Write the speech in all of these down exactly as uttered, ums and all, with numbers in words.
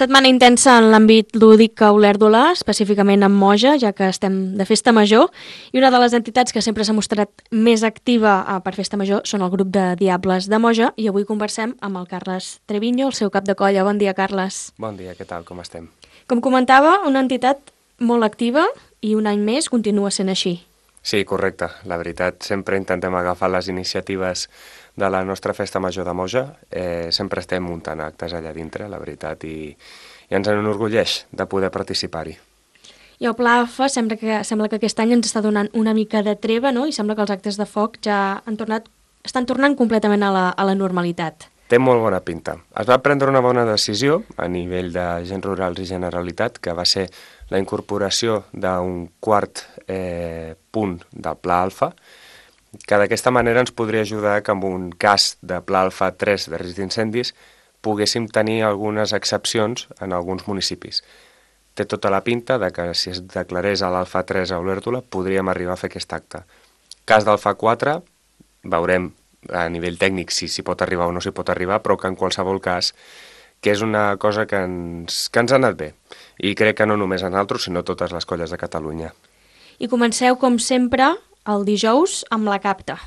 Setmana intensa en l'àmbit lúdic a Olèrdola, específicament en Moja, ja que estem de Festa Major, i una de les entitats que sempre s'ha mostrat més activa per Festa Major són el grup de Diables de Moja, i avui conversem amb el Carles Treviño, el seu cap de colla. Bon dia, Carles. Bon dia, què tal, com estem? Com comentava, una entitat molt activa i un any més continua sent així. Sí, correcte. La veritat, sempre intentem agafar les iniciatives de la nostra Festa Major de Moja. Eh, sempre estem muntant actes allà dintre, la veritat, i, i ens enorgulleix de poder participar-hi. I el Pla A F A sembla que, sembla que aquest any ens està donant una mica de treva, no? I sembla que els actes de foc ja han tornat, estan tornant completament a la, a la normalitat. Té molt bona pinta. Es va prendre una bona decisió a nivell de Agents Rurals i Generalitat, que va ser la incorporació d'un quart eh, punt del Pla Alfa, que d'aquesta manera ens podria ajudar que en un cas de Pla Alfa tres de risc d'incendis poguéssim tenir algunes excepcions en alguns municipis. Té tota la pinta de que si es declarés a l'Alfa tres a Olèrdola podríem arribar a fer aquest acte. Cas d'Alfa quatre, veurem a nivell tècnic si s'hi pot arribar o no s'hi pot arribar, però que en qualsevol cas que és una cosa que ens, que ens ha anat bé. I crec que no només a nosaltres, sinó totes les colles de Catalunya. I comenceu, com sempre, el dijous amb la capta.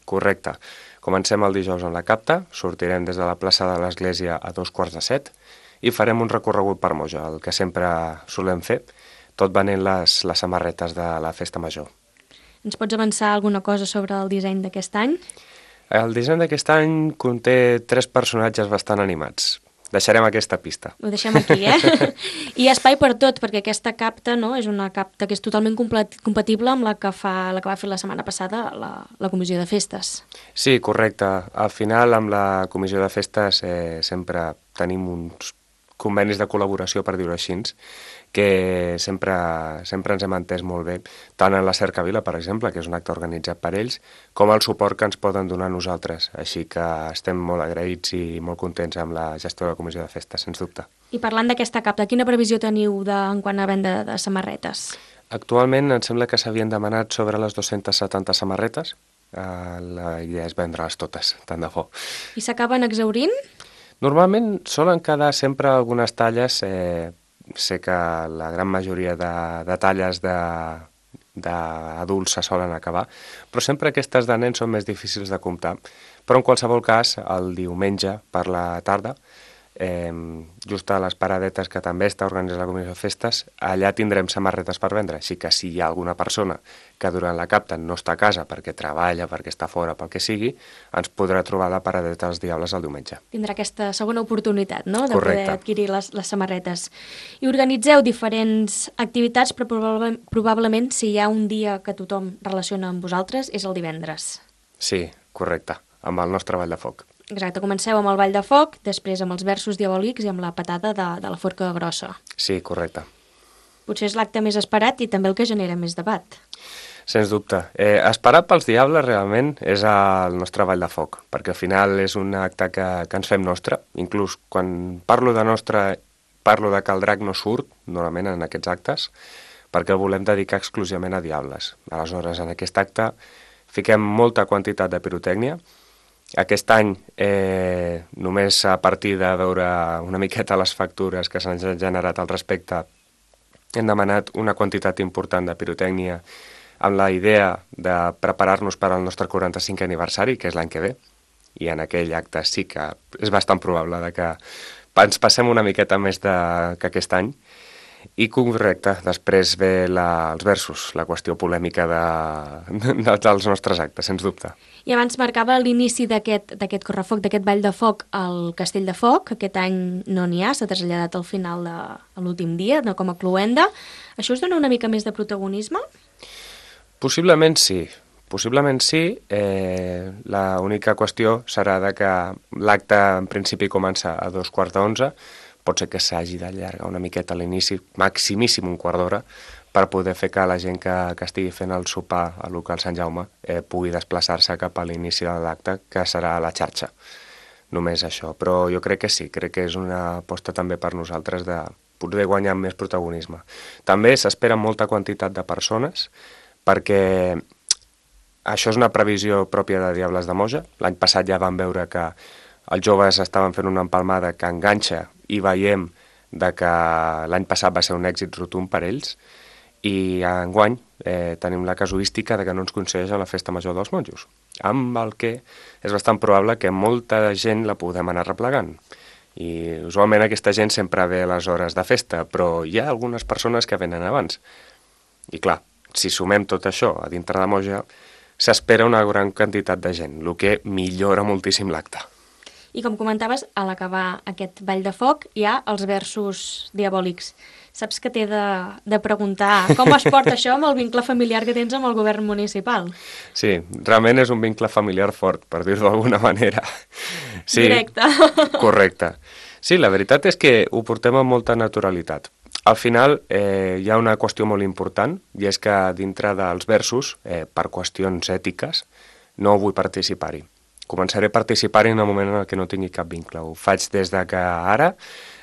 Correcte. Comencem el dijous amb la capta, sortirem des de la plaça de l'Església a dos quarts de set i farem un recorregut per Moja, el que sempre solem fer, tot venent les, les samarretes de la Festa Major. Ens pots avançar alguna cosa sobre el disseny d'aquest any? El disseny d'aquest any conté tres personatges bastant animats. Deixarem aquesta pista. Ho deixem aquí, eh? I hi ha espai per tot, perquè aquesta capta, no, és una capta que és totalment compatible amb la que, fa, la que va fer la setmana passada la, la Comissió de Festes. Sí, correcte. Al final, amb la Comissió de Festes eh, sempre tenim uns convenis de col·laboració, per dir-ho així, que sempre, sempre ens hem entès molt bé, tant en la Cercavila, per exemple, que és un acte organitzat per ells, com el suport que ens poden donar a nosaltres. Així que estem molt agraïts i molt contents amb la gestió de la Comissió de Festes, sens dubte. I parlant d'aquesta capta, quina previsió teniu de, en quant a venda de samarretes? Actualment em sembla que s'havien demanat sobre les dues-centes setanta samarretes. Uh, la idea és vendre-les totes, tant de bo. I s'acaben exhaurint? Normalment solen quedar sempre algunes talles. Eh, sé que la gran majoria de, de talles d'adults se solen acabar, però sempre aquestes de nens són més difícils de comptar. Però en qualsevol cas, el diumenge per la tarda, eh, just a les paradetes que també està organitzant la Comissió de Festes, allà tindrem samarretes per vendre, així que si hi ha alguna persona que durant la capta no està a casa perquè treballa, perquè està fora, pel que sigui, ens podrà trobar la paradeta dels Diables el diumenge. Tindrà aquesta segona oportunitat, no?, de Correcte. poder adquirir les, les samarretes. I organitzeu diferents activitats, però probablement, probablement si hi ha un dia que tothom relaciona amb vosaltres és el divendres. Sí, correcte, amb el nostre ball de foc. Exacte, comenceu amb el ball de foc, després amb els versos diabòlics i amb la patada de, de la forca grossa. Sí, correcte. Potser és l'acte més esperat i també el que genera més debat. Sens dubte. Eh, esperat pels Diables realment és el nostre ball de foc, perquè al final és un acte que, que ens fem nostre. Inclús quan parlo de nostre, parlo de que el drac no surt, normalment en aquests actes, perquè el volem dedicar exclusivament a Diables. Aleshores, en aquest acte fiquem molta quantitat de pirotècnia. Aquest any, eh, només a partir de veure una miqueta les factures que s'han generat al respecte, hem demanat una quantitat important de pirotècnia amb la idea de preparar-nos per al nostre quaranta-cinquè aniversari, que és l'any que ve, i en aquell acte sí que és bastant probable de que ens passem una miqueta més de, que aquest any. I correcte, després ve la, els versos, la qüestió polèmica de, de, dels nostres actes, sens dubte. I abans marcava l'inici d'aquest d'aquest correfoc, d'aquest ball de foc al Castell de Foc. Aquest any no n'hi ha, s'ha traslladat al final de a l'últim dia, no, com a cloenda. Això us dona una mica més de protagonisme? Possiblement sí, possiblement sí. Eh, l'única qüestió serà de que l'acte en principi comença a dos quarts d'onze, pot ser que s'hagi d'allargar una miqueta a l'inici, maximíssim un quart d'hora, per poder fer que la gent que, que estigui fent el sopar al local Sant Jaume eh, pugui desplaçar-se cap a l'inici de l'acte, que serà a la xarxa. Només això, però jo crec que sí, crec que és una aposta també per nosaltres de poder guanyar més protagonisme. També s'espera molta quantitat de persones, perquè això és una previsió pròpia de Diables de Moja. L'any passat ja vam veure que els joves estaven fent una empalmada que enganxa i veiem de que l'any passat va ser un èxit rotund per ells i enguany eh, tenim la casuística de que no ens coincideix a la festa major dels monjos, amb el que és bastant probable que molta gent la podem anar replegant. I usualment aquesta gent sempre ve a les hores de festa, però hi ha algunes persones que venen abans. I clar, si sumem tot això a dintre de Moja, s'espera una gran quantitat de gent, el que millora moltíssim l'acte. I com comentaves, a l'acabar aquest ball de foc hi ha els versos diabòlics. Saps que t'he de, de preguntar com es porta això amb el vincle familiar que tens amb el govern municipal? Sí, realment és un vincle familiar fort, per dir-ho d'alguna manera. Sí, directe. Correcte. Sí, la veritat és que ho portem amb molta naturalitat. Al final eh, hi ha una qüestió molt important, i és que dintre dels versos, eh, per qüestions ètiques, no vull participar-hi. Començaré a participar-hi en el moment en què no tingui cap vincle. Ho faig des de que ara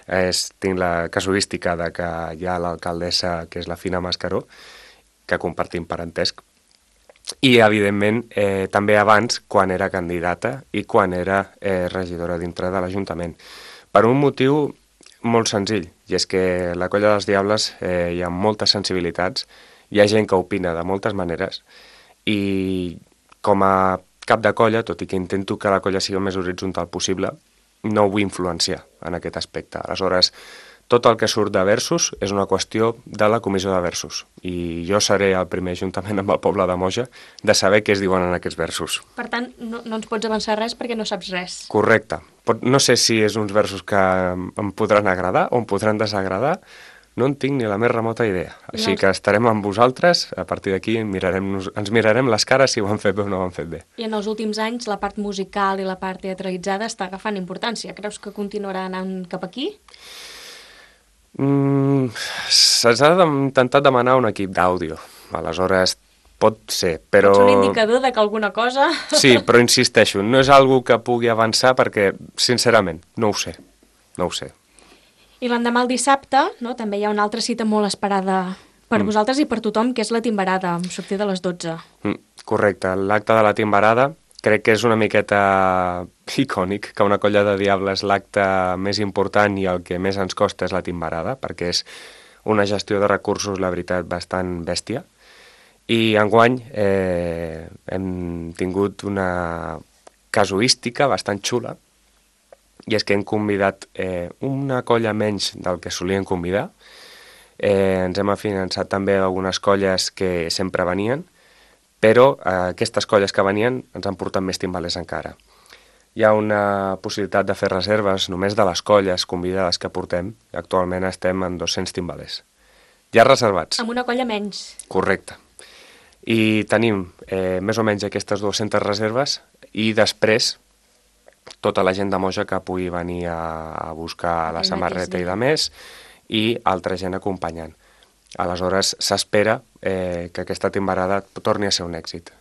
és, tinc la casuística de que hi ha l'alcaldessa, que és la Fina Mascaró, que compartim parentesc, i, evidentment, eh, també abans, quan era candidata i quan era eh, regidora dintre de l'Ajuntament. Per un motiu molt senzill, i és que la Colla dels Diables eh, hi ha moltes sensibilitats, hi ha gent que opina de moltes maneres, i com a cap de colla, tot i que intento que la colla sigui el més horitzontal possible, no ho vull influenciar en aquest aspecte. Aleshores, tot el que surt de versos és una qüestió de la comissió de versos, i jo seré el primer, juntament amb el poble de Moja, de saber què es diuen en aquests versos. Per tant, no, no ens pots avançar res perquè no saps res. Correcte. Pot, no sé si és uns versos que em podran agradar o em podran desagradar, no en tinc ni la més remota idea. Així que estarem amb vosaltres, a partir d'aquí mirarem, ens mirarem les cares si ho han fet bé o no ho han fet bé. I en els últims anys la part musical i la part teatralitzada està agafant importància. Creus que continuarà anant cap aquí? Mm, S'ha intentat demanar un equip d'àudio, aleshores pot ser, però... Pots un indicador de que alguna cosa... Sí, però insisteixo, no és algo que pugui avançar perquè, sincerament, no ho sé, no ho sé. I l'endemà el dissabte, no, també hi ha una altra cita molt esperada per mm. vosaltres i per tothom, que és la timbarada, amb sortida a les dotze. Mm, correcte, l'acte de la timbarada crec que és una miqueta icònic, que una colla de diables l'acte més important i el que més ens costa és la timbarada, perquè és una gestió de recursos, la veritat, bastant bèstia. I enguany eh, hem tingut una casuística bastant xula, i és que hem convidat eh, una colla menys del que solien convidar. Eh, ens hem finançat també algunes colles que sempre venien, però eh, aquestes colles que venien ens han portat més timbalers encara. Hi ha una possibilitat de fer reserves només de les colles convidades que portem. Actualment estem en dos-cents timbalers. Ja reservats. Amb una colla menys. Correcte. I tenim eh, més o menys aquestes dues-centes reserves i després tota la gent de Moja que pugui venir a, a buscar la samarreta i de més, i altra gent acompanyant. Aleshores, s'espera eh, que aquesta timbarada torni a ser un èxit.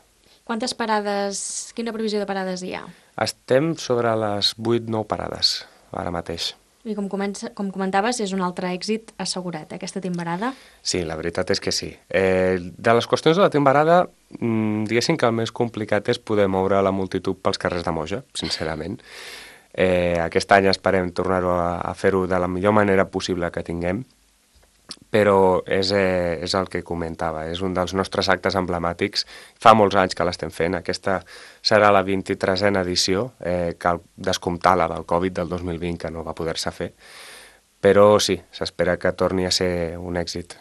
Quantes parades, quina previsió de parades hi ha? Estem sobre les vuit nou parades, ara mateix. I com, comença, com comentaves, és un altre èxit assegurat, eh, aquesta timbarada? Sí, la veritat és que sí. Eh, de les qüestions de la timbarada, mmm, diguéssim que el més complicat és poder moure la multitud pels carrers de Moja, sincerament. Eh, aquest any esperem tornar-ho a, a fer-ho de la millor manera possible que tinguem, però és, eh, és el que comentava, és un dels nostres actes emblemàtics. Fa molts anys que l'estem fent, aquesta serà la vint-i-tresena edició, eh, cal descomptar la del Covid del dos mil vint, que no va poder-se fer, però sí, s'espera que torni a ser un èxit.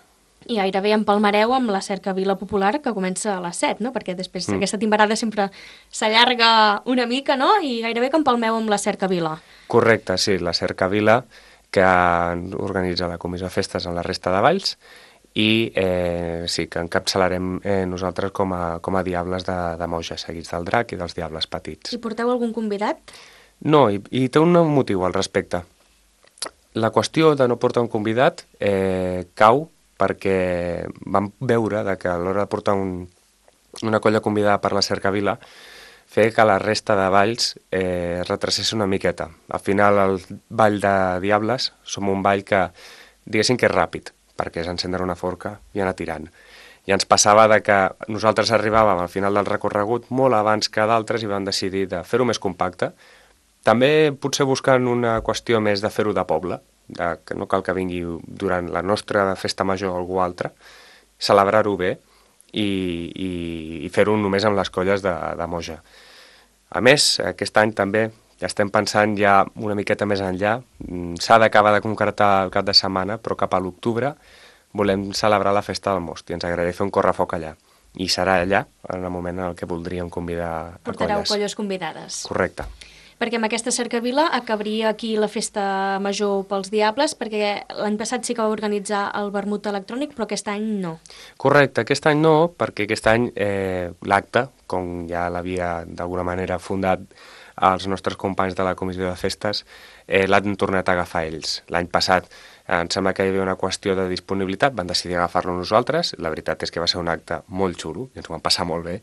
I gairebé empalmareu amb la cercavila popular que comença a les set, no? Perquè després mm. aquesta timbarada sempre s'allarga una mica, no? I gairebé que empalmeu amb la cercavila. Correcte, sí, la cercavila que organitza la Comissió de Festes en la resta de valls i eh, sí, que encapçalarem eh, nosaltres com a, com a diables de, de Moja, seguits del drac i dels diables petits. I porteu algun convidat? No, i, i té un motiu al respecte. La qüestió de no portar un convidat eh, cau perquè vam veure de que a l'hora de portar un, una colla convidada per la cercavila fer que la resta de balls eh, retracés una miqueta. Al final, el ball de Diables som un ball que, diguéssim que és ràpid, perquè és encendre una forca i anar tirant. I ens passava de que nosaltres arribàvem al final del recorregut molt abans que d'altres i vam decidir de fer-ho més compacte. També potser buscant una qüestió més de fer-ho de poble, de que no cal que vingui durant la nostra festa major o algú altre, celebrar-ho bé i, i, i fer-ho només amb les colles de, de Moja. A més, aquest any també ja estem pensant ja una miqueta més enllà, s'ha d'acabar de concretar el cap de setmana, però cap a l'octubre volem celebrar la festa del most i ens agradaria fer un correfoc allà. I serà allà, en el moment en què voldríem convidar a colles. Portareu colles convidades. Correcte. Perquè amb aquesta cercavila acabaria aquí la festa major pels Diables, perquè l'any passat sí que va organitzar el vermut electrònic, però aquest any no. Correcte, aquest any no, perquè aquest any eh, l'acte, com ja l'havia d'alguna manera fundat els nostres companys de la comissió de festes, eh, l'han tornat a agafar ells. L'any passat em sembla que hi havia una qüestió de disponibilitat, van decidir agafar-lo nosaltres, la veritat és que va ser un acte molt xulo, i ens ho vam passar molt bé,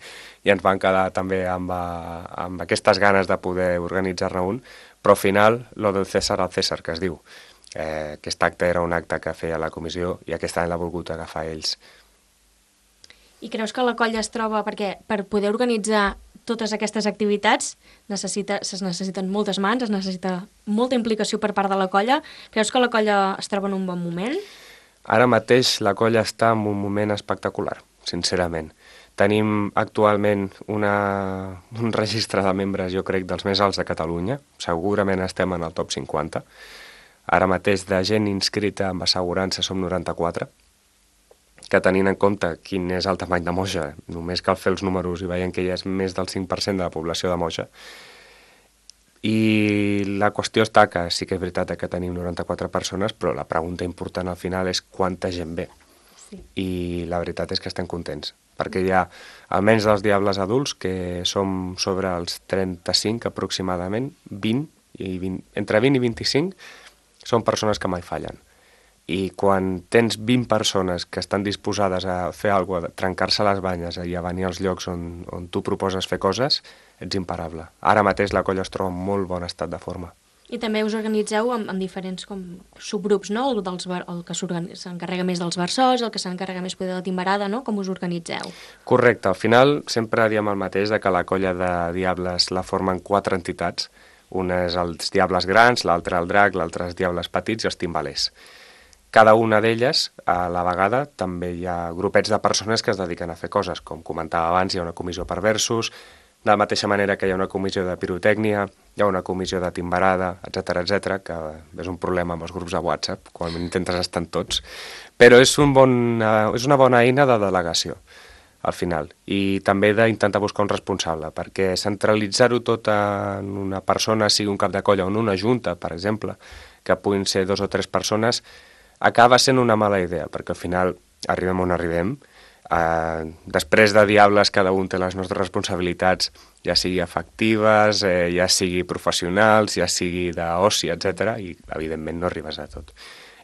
i ens van quedar també amb, amb aquestes ganes de poder organitzar-ne un, però al final, lo del César al César, que es diu. Eh, aquest acte era un acte que feia la comissió i aquest any l'ha volgut agafar ells. I creus que la colla es troba, perquè per poder organitzar totes aquestes activitats necessita, es necessiten moltes mans, es necessita molta implicació per part de la colla. Creus que la colla es troba en un bon moment? Ara mateix la colla està en un moment espectacular, sincerament. Tenim actualment una, un registre de membres, jo crec, dels més alts de Catalunya. Segurament estem en el top cinquanta. Ara mateix de gent inscrita amb assegurança som noranta-quatre, que tenint en compte quin és el tamany de Moja, només cal fer els números i veiem que ja és més del cinc per cent de la població de Moja. I la qüestió està que sí que és veritat que tenim noranta-quatre persones, però la pregunta important al final és quanta gent ve. Sí. I la veritat és que estem contents, perquè hi ha almenys dels Diables adults, que som sobre els trenta-cinc aproximadament, vint, i vint entre vint i vint-i-cinc, són persones que mai fallen. I quan tens vint persones que estan disposades a fer alguna cosa, a trencar-se les banyes i a venir als llocs on, on tu proposes fer coses, ets imparable. Ara mateix la colla es troba en molt bon estat de forma. I també us organitzeu amb, amb diferents com, subgrups, no? El, dels, el que s'encarrega més dels versols, el que s'encarrega més de la timbarada, no? Com us organitzeu? Correcte. Al final sempre diem el mateix, de que la colla de Diables la formen quatre entitats. Una és els Diables grans, l'altra el drac, l'altra els Diables petits i els timbalers. Cada una d'elles, a la vegada, també hi ha grupets de persones que es dediquen a fer coses. Com comentava abans, hi ha una comissió per versos, de la mateixa manera que hi ha una comissió de pirotècnia, hi ha una comissió de timbarada, etcètera, etcètera, que és un problema amb els grups de WhatsApp, quan intentes estar en tots, però és, un bon, és una bona eina de delegació, al final, i també d'intentar buscar un responsable, perquè centralitzar-ho tot en una persona, sigui un cap de colla o en una junta, per exemple, que puguin ser dos o tres persones, acaba sent una mala idea, perquè al final arribem on arribem. Eh, després de Diables cada un té les nostres responsabilitats, ja sigui afectives, eh, ja sigui professionals, ja sigui d'oci, etcètera, i evidentment no arribes a tot.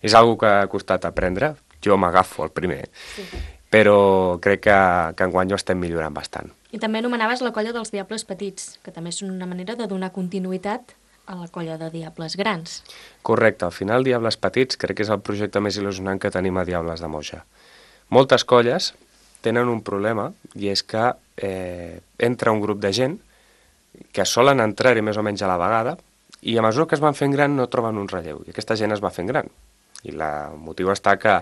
És una cosa que ha costat aprendre, jo m'agafo el primer, sí. Però crec que, que enguany ho estem millorant bastant. I també anomenaves la colla dels Diables petits, que també són una manera de donar continuïtat a la colla de Diables grans. Correcte, al final Diables petits crec que és el projecte més il·lusionant que tenim a Diables de Moja. Moltes colles tenen un problema, i és que eh, entra un grup de gent que solen entrar-hi més o menys a la vegada, i a mesura que es van fent gran no troben un relleu, i aquesta gent es va fent gran. I la, el motiu està que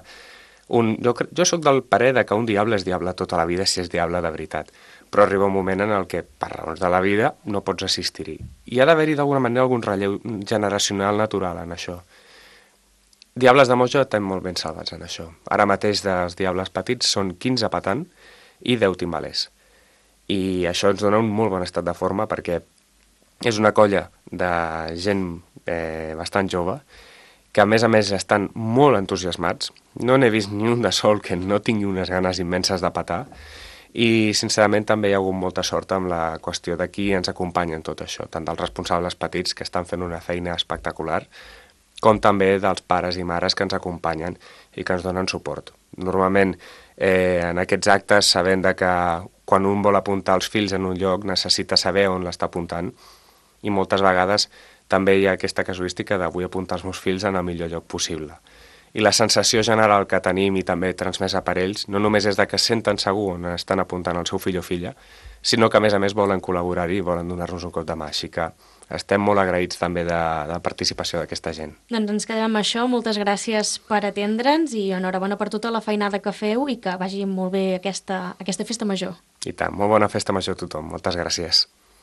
un, jo, jo sóc del parer de que un diable és diable tota la vida si és diable de veritat, però arriba un moment en el que, per raons de la vida, no pots assistir-hi. I ha d'haver-hi d'alguna manera algun relleu generacional natural en això. Diables de Moja estem molt ben salvats en això. Ara mateix dels Diables petits són quinze patant i deu timbalers. I això ens dona un molt bon estat de forma perquè és una colla de gent eh, bastant jove que a més a més estan molt entusiasmats. No n'he vist ni un de sol que no tingui unes ganes immenses de patar i sincerament també hi ha hagut molta sort amb la qüestió de qui ens acompanya en tot això, tant dels responsables petits que estan fent una feina espectacular com també dels pares i mares que ens acompanyen i que ens donen suport. Normalment eh, en aquests actes sabent de que quan un vol apuntar els fills en un lloc necessita saber on l'està apuntant i moltes vegades també hi ha aquesta casuística de vull apuntar els meus fills en el millor lloc possible. I la sensació general que tenim i també transmesa per ells no només és de que senten segur on estan apuntant el seu fill o filla, sinó que a més a més volen col·laborar-hi i volen donar-nos un cop de mà. Així que estem molt agraïts també de, de la participació d'aquesta gent. Doncs ens quedem amb això. Moltes gràcies per atendre'ns i enhorabona per tota la feinada que feu i que vagi molt bé aquesta, aquesta festa major. I tant, molt bona festa major a tothom. Moltes gràcies.